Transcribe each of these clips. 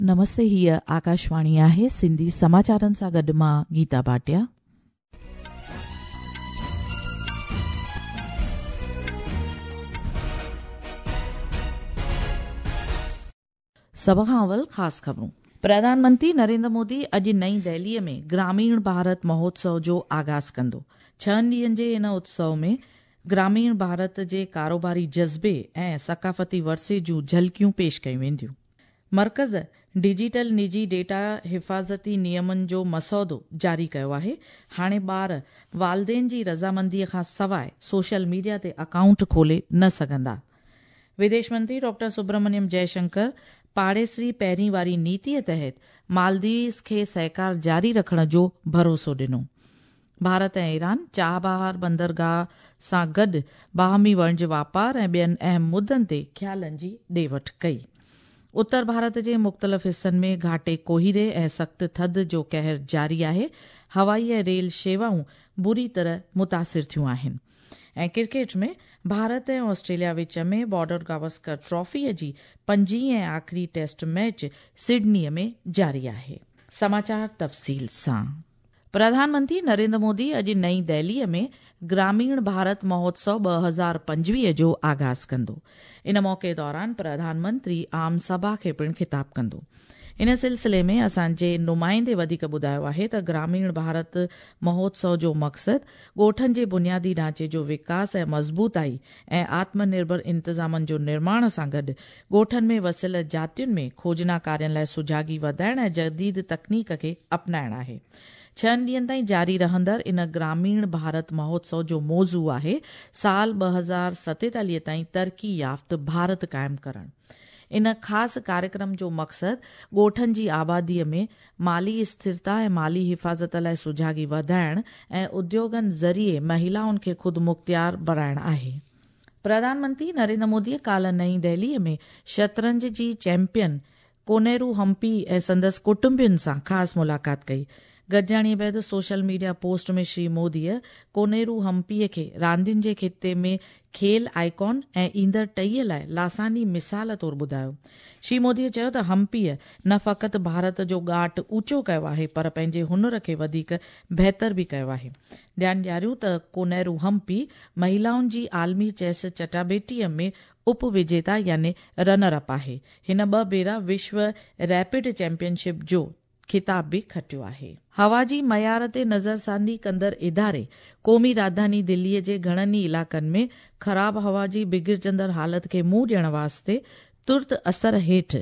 نمستي هيء آڪاشواڻي آهي سنڌي سماچارن سان گڏ مان گيتا ڀاٽيا. سڀ کان اول خاص خبرون. پرڌان منتري نريندر مودي اڄ نئين دهليء ۾ گراميڻ ڀارت مهوتسو جو آغاز ڪندو. ڇهن ڏينهن جي ان اتسو ۾ گراميڻ ڀارت جي ڪاروباري جذبي ۽ ثقافتي ورثي جون جهلڪيون پيش ڪيون وينديون. مرڪز ڊجيٽل نجي ڊيٽا حفاظتي نيمن جو مسودو جاري ڪيو آهي، هاڻي ٻار والدين جي رضامندي کان سواء سوشل ميڊيا تي اڪائونٽ کولي نه سگهندا. وديش منتري ڊاڪٽر سبرمنيم جئه شنڪر پاڙيسري پهرين واري نيتي تحت مالديوز کي سهڪار جاري رکڻ جو ڀروسو ڏنو. ڀارت ۽ ايران چابهار بندرگاهه سان گڏ باهمي وڻج واپار ۽ ٻين اهم مدن تي خيالن جي ڏي وٺ ڪئي. اتر ڀارت جي مختلف حصن ۾ گهاٽي ڪوهيڙي ۽ سخت ٿڌ جو قهر جاري آهي، هوائي ۽ ريل شيوائون بري طرح متاثر ٿيون آهن ۽ ڪرڪيٽ ۾ ڀارت ۽ آسٽريليا وچ ۾ بارڊر گواسڪر ٽرافيء جي پنجين ۽ آخري ٽيسٽ ميچ سڊنيء ۾ جاري آهي. سماچار تفصيل سان پرڌان منتري نريندر مودي اڄ نئين دهليء ۾ گراميڻ ڀارت مهوتسو 2025 جو آغاز ڪندو. ان موقعي دوران پرڌان منتري عام سڀا کي پڻ خطاب ڪندو. ان سلسلي ۾ اسان جي نمائندي وڌيڪ ٻڌايو آهي ته گراميڻ ڀارت مهوتسو جو مقصد ڳوٺن جي بنيادي ڍانچي جو وڪاس ۽ مضبوطائي ۽ آتم نرڀر انتظامن جو نرماڻ سان گڏ ڳوٺن ۾ وسيل جاتين ۾ کوجنا ڪارين لاء سجاڳي وڌائڻ ۽ جديد تڪنيڪ کي اپنائڻ آهي. ڇهن ڏينهن تائين جاري رهندڙ ان گراميڻ ڀارت مهوتسو جو موضوع آهي سال 2047 تائين ترقي يافته ڀارت قائم ڪرڻ. ان خاص ڪاريڪرم جو مقصد ڳوٺن جي آباديء ۾ مالي اسٿرتا ۽ مالي حفاظت لاء سجاڳي وڌائڻ ۽ اديوگن ذريعي مهلائن کي خودمختيار بڻائڻ آهي. پرڌان منتري نريندر موديء ڪالهه نئين دهليء ۾ شطرنج جي چيمپيئن ڪونيرو همپي ۽ سندس ڪٽنبين سان خاص ملاقات ڪئي. گڏجاڻيء بعد سوشل ميڊيا پوسٽ ۾ شري موديء ڪونيرو همپيء کي راندين جي خطي ۾ کيل آئيڪون ۽ ايندڙ ٽهيء لاء لاثاني مثال طور ٻڌايو. شري موديء چيو ته همپيء نه فقط ڀارت جو ڳاٽ اوچو ڪيو آهي پر پنهنجي هنر کي وڌيڪ بهتر به ڪيو آهي. ڌيان ڏياريون ته ڪونيرو همپي مهلائن جي عالمي چيس چٽاڀيٽيء ۾ اپ وجيتا يعني رنر اپ آهي. هن ٻه ڀيرا وشو ريپڊ چيمپيئن شپ جو خطاب به کٽيو آهي. هوا جي معيار تي نظرثاني ڪندڙ اداري قومي راڄڌاني دلي جي گهڻن ئي علائقن ۾ خراب هوا جي بگڙجندڙ حالت کي منهن ڏيڻ واسطي ترت اثر هيٺ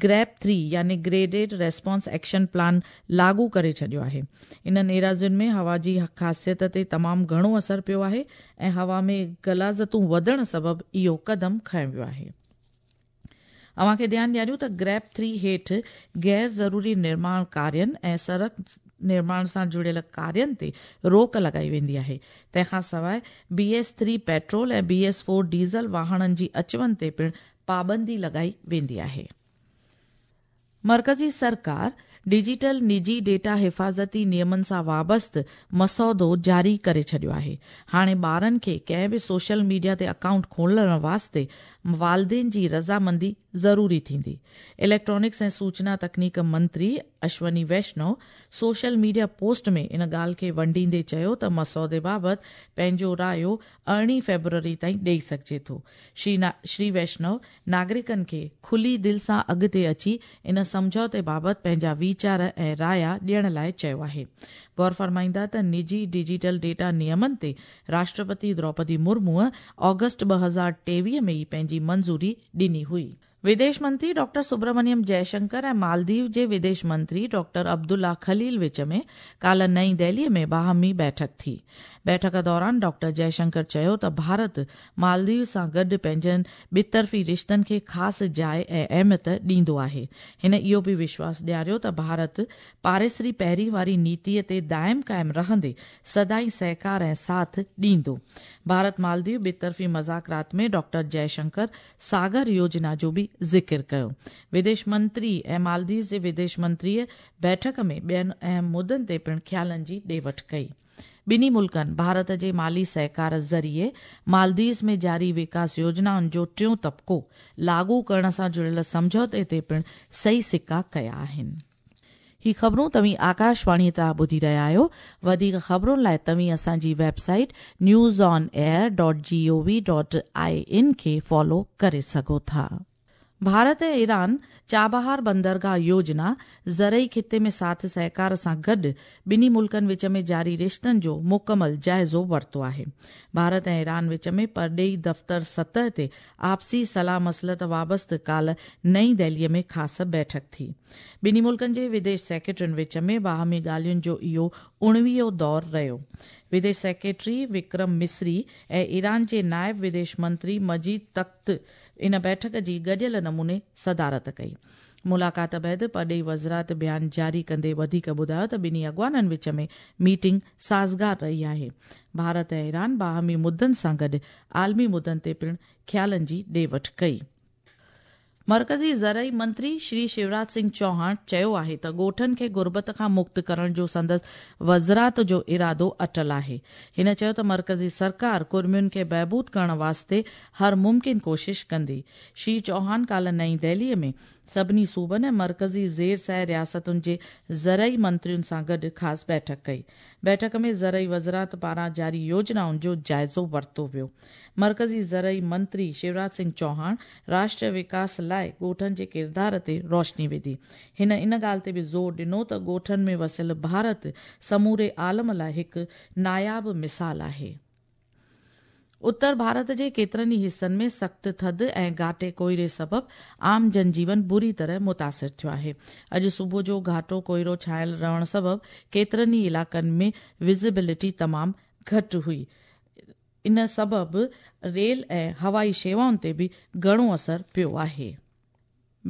گريپ ٿري يعني گريڊيڊ ريسپانس ايڪشن پلان لاڳو ڪري ڇڏيو آهي. انهن ايراضين ۾ هوا جي خاصيت تي تمام گهڻو اثر پيو آهي ۽ هوا ۾ غلاظتون وڌڻ سبب اهو قدم کنيو ويو آهي. اوهان کي ڌيان ڏياريون ته گريپ ٿري هيٺ غير ضروري نرماڻ ڪارين ۽ سڙڪ نرماڻ سان جڙيل ڪارين تي روڪ لڳائي ويندي آهي. تنهن کان سواء B S three petrol ۽ B S four diesel واهڻن جي اچ وڃ تي پڻ پابندي لڳائي ويندي آهي. مرڪزي سرڪار ڊجيٽل نجي ڊيٽا حفاظتي نيمن سان وابسته مسودو جاري ڪري ڇڏيو آهي. هاڻي ٻارن کي ڪنهن به سوشل ميڊيا تي اڪائونٽ کولڻ واسطي والدين جي رضامندي ضروري ٿيندي. اليڪٽرانڪس ۽ سوچنا تڪنيڪ منتري Ashwini Vishnu social media post ۾ ان ڳالهه کي ونڊيندي چيو ته مسودي بابت پنهنجو رايو ارڙهين فيبروري تائين ڏئي سگهجي ٿو. شري ويشنو ناگرڪن کي کلي دل سان اڳتي اچي ان سمجهوتي بابت پنهنجا ويچار ۽ رايا ڏيڻ لاء چيو آهي. غور فرمائيندا ته نجي ڊجيٽل ڊيٽا نيمن تي راشٽرپتي دروپدي مرموء آگسٽ 2023 ۾ ئي پنهنجي منظوري ڏني هئي. وديش منتري ڊاڪٽر سبرمنيم جئه شنڪر ۽ مالديو جي وديش منتري ڊاڪٽر عبدالله خليل وچ ۾ ڪالهه نئين دهلي ۾ باهمي بيٺڪ ٿي. بيٺڪ دوران ڊاڪٽر جئه شنڪر چيو ته ڀارت مالديو سان گڏ پنهنجن ٻطرفي رشتن کي خاص جاء ۽ اهميت ڏيندو آهي. هن اهو به وشواس ڏياريو ته ڀارت پاڙيسري پهرين واري نيتي تي دائم قائم رهندي سدائين سهڪار ۽ ساٿ ڏيندو. ڀارت مالديو ٻطرفي مذاڪرات ۾ ڊاڪٽر جئه شنڪر ساگر يوجنا جو به ذڪر ڪيو. وديش منتري ۽ مالديوز جي وديش منتريء بيٺڪ ۾ ٻين اهم مدن تي پڻ خيالن جي ڏي وٺ ڪئي. ٻنهي ملڪن ڀارت جي مالي سهڪار ذريعي مالديوز ۾ جاري وڪاس يوجنائن جو ٽيون طبقو لاڳو ڪرڻ سان جڙيل سمجهوتي تي پڻ صحيح سڪا ڪيا آهن. هي خبرون توهين آڪاشواڻي تان ٻڌي رهيا آهيو. وڌيڪ خبرن لاء توهين اسان جي website news on air dot G O V dot I N کي فالو ڪري سگهو ٿا. ڀارت ۽ ايران چابهار بندرگاهه يوجنا زرعي خطي ۾ ساٿ سهڪار سان گڏ ٻنهي ملڪن وچ ۾ جاري رشتن جو مڪمل جائزو ورتو آهي. ڀارت ۽ ايران وچ ۾ پرڏيهي دفتر سطح تي آپسي صلاح مصلحت وابسته ڪالهه نئين دهلي ۾ خاص بيٺڪ ٿي. ٻنهي ملڪن جي وديش سيڪريٽرين وچ ۾ باهمي ڳالهين جو اهو اڻويهون دور رهيو. وديش سيڪريٽري وڪرم مصري ۽ ايران جي نائب وديش منتري مجيد تخت ان بيٺڪ جي گڏيل نموني صدارت ڪئي. ملاقات بعد پرڏيهي وزارت بيان جاري ڪندي وڌيڪ ٻڌايو ته ٻنهي اڳواڻن وچ ۾ ميٽنگ سازگار رهي آهي. ڀارت ۽ ايران باهمي مدن سان گڏ عالمي مدن تي پڻ خيالن جي ڏي وٺ ڪئي. مرڪزي زرعي منتري شري شيوراج سنگهه چوهاڻ چيو آهي ته ڳوٺن کي غربت کان مڪت ڪرڻ جو سندس وزرات جو ارادو اٽل آهي. هن چيو ته مرڪزي سرڪار ڪڙمين کي بهبود ڪرڻ واسطي هر ممڪن ڪوشش ڪندي. شري چوهان ڪالهه نئين دهلي ۾ سڀني صوبن ۽ مرڪزي زير سايه رياستن جي زرعي منترين سان گڏ خاص بيٺڪ ڪئي. بيٺڪ ۾ زرعي وزرات پاران جاري يوجنائن جو جائزو ورتو ويو. مرڪزي زرعي منتري شيوراج سنگهه چوهاڻ راشٽريه وڪاس لاء ڳوٺن جي ڪردار تي روشني وڌي. هن ان ڳالهه تي به زور ڏنو ته ڳوٺن ۾ وسيل ڀارت سموري عالم لاء هڪ ناياب مثال آهي. اتر ڀارت جي ڪيترن ئي حصن ۾ سخت ٿڌ ۽ گهاٽي ڪوهيڙي سبب عام جنجيون بري طرح متاثر ٿيو آهي. اڄ صبح جو گهاٽو ڪوهيڙو ڇانيل رهڻ سبب ڪيترن ئي علائقن ۾ وزيبلٽي تمام گهٽ هئي. ان سبب ريل ۽ هوائي شيوائن تي به گهڻو اثر پيو آهي.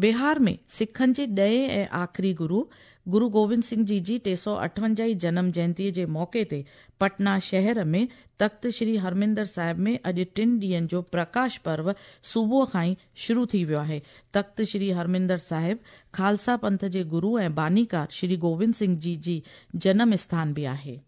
بهار ۾ سکن جي ڏهين ۽ آخري گرو، گرو گوبند سنگهه جي جي 358 هين جنم جينتي جي موقعي تي پٽنا شهر ۾ تخت شري هرمندر صاحب ۾ اڄ ٽن ڏينهن جو پرڪاش پرو صبح کان ئي شروع ٿي ويو آهي. تخت شري هرمندر صاحب خالصا پنٿ جي گرو ۽ بانيڪار شري گوبند سنگهه جي جي جنم اسٿان به آهي.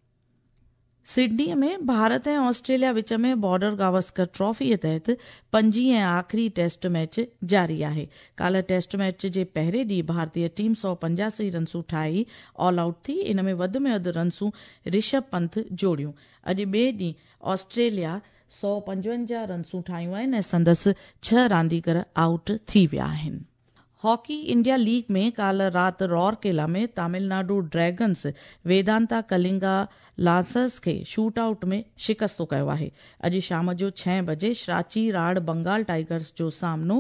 سڊني ۾ ڀارت ۽ آسٽريليا وچ ۾ بارڊر گاوسڪر ٽرافي تحت پنجين ۽ آخري ٽيسٽ ميچ جاري آهي. ڪالهه ٽيسٽ ميچ جي پهرين ڏينهن ڀارتي ٽيم 185 رنسون ٺاهي آل آئوٽ ٿي، ان ۾ وڌ ۾ وڌ رنسون رشڀ پنت جوڙيون. اڄ ٻئي ڏينهن آسٽريليا 155 رنسون ٺاهيون آهن ۽ سندس ڇهه رانديگر آئوٽ ٿي ويا آهن. هاڪي انڊيا ليگ ۾ ڪالهه رات رورڪيلا ۾ تامل ناڊو ڊريگنز ويدانتا ڪلنگا لانسرز کي شوٽ آئوٽ ۾ شڪستو ڪيو آهي. اڄ شام جو ڇهين بجي شراچي راڙ بنگال ٽائيگرز جو سامنو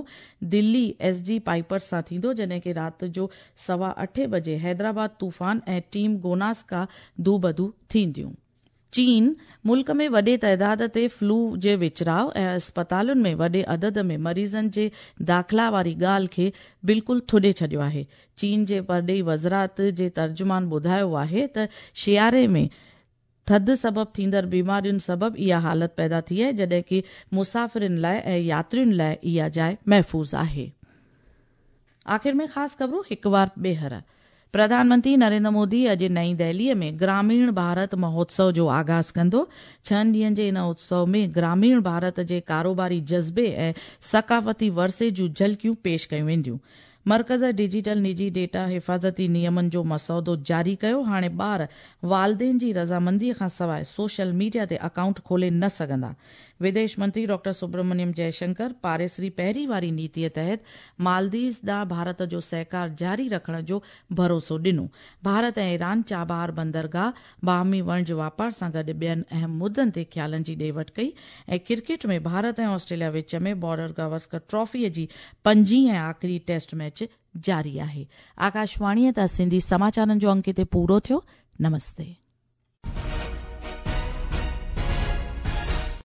دلي ايس جي پائپرز سان ٿيندو جڏهن ڪي رات جو سوا اٺين بجي حيدرآباد طوفان ۽ ٽيم گوناسڪا دوبدو ٿينديون. چين ملڪ ۾ وڏي تعداد تي فلو جي وچراء ۽ اسپتالن ۾ وڏي عدد ۾ مريضن جي داخلا واري ڳالهه کي بلڪل ٿڏي ڇڏيو آهي. چين جي پرڏيهي وزارت جي ترجمان ٻڌايو آهي ته سياري ۾ ٿڌ سبب ٿيندڙ بيمارين سبب اها حالت پيدا ٿي آهي جڏهن ڪي مسافرن لاء ۽ ياترين لاء اها جاء محفوظ آهي. آخر ۾ خاص خبرون هڪ وار ٻيهر. پرڌان منتري نريندر مودي اڄ نئين دهلي ۾ گراميڻ ڀارت مهوتسو جو آغاز ڪندو. ڇهن ڏينهن جي ان اتسو ۾ گراميڻ ڀارت جي ڪاروباري جذبي ۽ ثقافتي ورثي جون جهلڪيون پيش ڪيون وينديون. مرڪز ڊجيٽل نجي ڊيٽا حفاظتي نيمن جو مسودو جاري ڪيو، هاڻي ٻار والدين جي رضامندي کان سواء سوشل ميڊيا تي اڪائونٽ کولي نه سگهندا. وديش منتري ڊاڪٽر سبرمنيم جئه شنڪر پاريسري پهرين واري نيتي تحت مالديوز ڏانهن ڀارت جو سهڪار جاري رکڻ جو ڀروسو ڏنو. ڀارت ۽ ايران چابهار بندرگاهه، باهمي وڻج واپار سان گڏ ٻين اهم مدن تي خيالن جي ڏي وٺ ڪئي ۽ ڪرڪيٽ ۾ ڀارت ۽ آسٽريليا وچ ۾ بارڊر گواسڪر ٽرافي جي پنجين ۽ آخري ٽيسٽ ميچ جاري آهي. آڪاشواڻيء تان سنڌي سماچارن جو انڪ هتي پورو ٿيو. نمستي.